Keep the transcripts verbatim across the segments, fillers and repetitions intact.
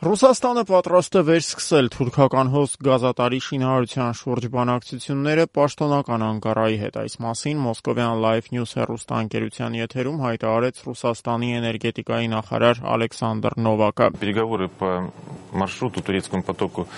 Ռուսաստանը պատրաստ է վերսկսել թուրքական հոսք գազատարի շինարարության շուրջ բանակցությունները պաշտոնական Անկարայի հետ։ Այս մասին Moscovian Live News հեռուստաընկերության եթերում հայտարարեց Ռուսաստանի էներգետիկայի նախարար Ալեքսանդր Նովակը։ Переговоры по маршруту турецкому потоку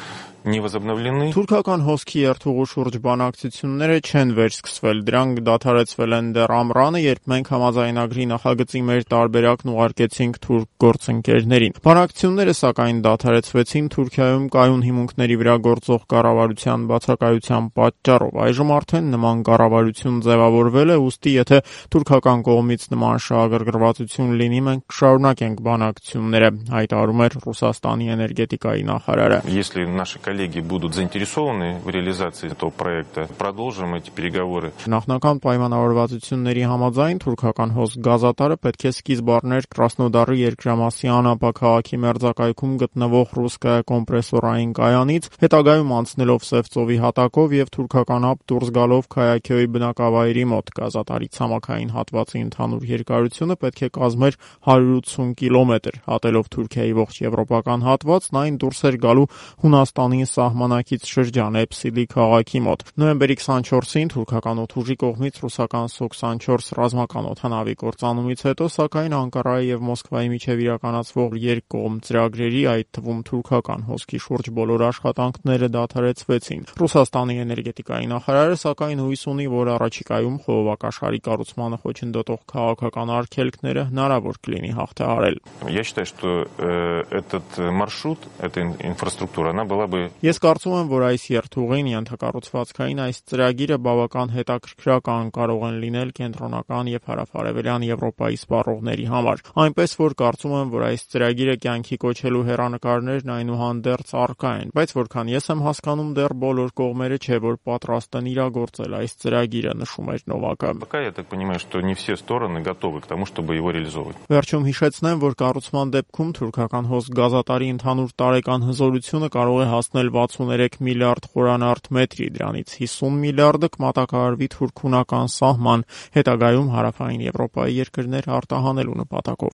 не возобновлены. Թուրքական հոսքի երթուղու շուրջ բանակցությունները չեն վերսկսվել, դրանք դադարեցվել են դեռ ամռանը, երբ մենք համաձայնագրի նախագծի մեր տարբերակն ուղարկեցինք թուրք գործընկերներին։ Բանակցությունները սակայն դադարեցվեցին Թուրքիայում կայուն հիմունքների վրա գործող կառավարության բացակայության պատճառով։ Այժմ արդեն նման կառավարություն ձևավորվել է, ուստի եթե թուրքական կողմից նման շահագրգռվածություն լինի, մենք կշարունակենք բանակցությունները, հայտարարում էր Ռուսաստանի էներգետիկայի նախարարը։ Если наши коллеги будут заинтересованы в реализации этого проекта, продолжим эти переговоры. Նախնական պայմանավորվածությունների համաձայն թուրքական հոսք գազատարը պետք է սկիզբ առներ Կրասնոդարի երկրամասի Անապա քաղաքի մերձակայքում գտնվող ռուսկայա կոմպրեսորային կայանից, հետագայում անցնելով Սև ծովի հատակով եւ թուրքական ափ դուրս գալով Քայաքյոյի բնակավայրի մոտ։ Գազատարի ցամաքային հատվածի ընդհանուր երկարությունը պետք է կազմեր հարյուր ութսուն կիլոմետր։ Հատելով Թուրքիայի ողջ եվրոպական հատվածն, այն դուրս էր գալու Հունաստանի սահմանակից շրջան Էփսիլի քաղաքի մոտ։ Նոյեմբերի քսանչորսին թուրքական օդուժի կողմից ռուսական Սու քսանչորս ռազմական օդանավի կործանումից հետո, սակայն Անկարայի եւ Մոսկվայի միջև իրականացվող երկկողմ ծրագրերի, այդ թվում թուրքական հոսքի շուրջ բոլոր աշխատանքները դադարեցվեցին։ Ռուսաստանի էներգետիկայի նախարարը սակայն հույս ունի, որ առաջիկայում խողովակաշարի կառուցմանը խոչընդոտող քաղաքական արգելքները հնարավոր կլինի հաղթահարել։ Я считаю, что э, этот маршрут, эта инфраструктура, она была бы. Ես կարծում եմ, որ այս երթուղին ենթակառուցվածքային այս ծրագիրը բավական հետաքրքրական կարող են լինել կենտրոնական եւ հարավարևելյան Եվրոպայի սպառողների համար։ Այնպես որ կարծում եմ, որ այս ծրագիրը կյանքի կոչելու հեռանկարներն այնուհանդերձ առկա են, բայց որքան ես եմ հասկանում, դեռ բոլոր կողմերը չէ, որ պատրաստ են իրագործել այս ծրագիրը, նշում էր Նովակը։ Пока я так понимаю, что не все стороны готовы к тому, чтобы его реализовывать. Վերջում հիշեցնեմ, որ կառուցման դեպքում թուրքական հոսք գազատարի ընդհանուր տարեկան հզորությունը կարող է հասնել վաթսուներեք միլիարդ խորանարդ մետրի, դրանից հիսուն միլիարդը կմատակարարվի թուրք-հունական սահման, հետագայում հարավային Եվրոպայի երկրներ արտահանելու նպատակով։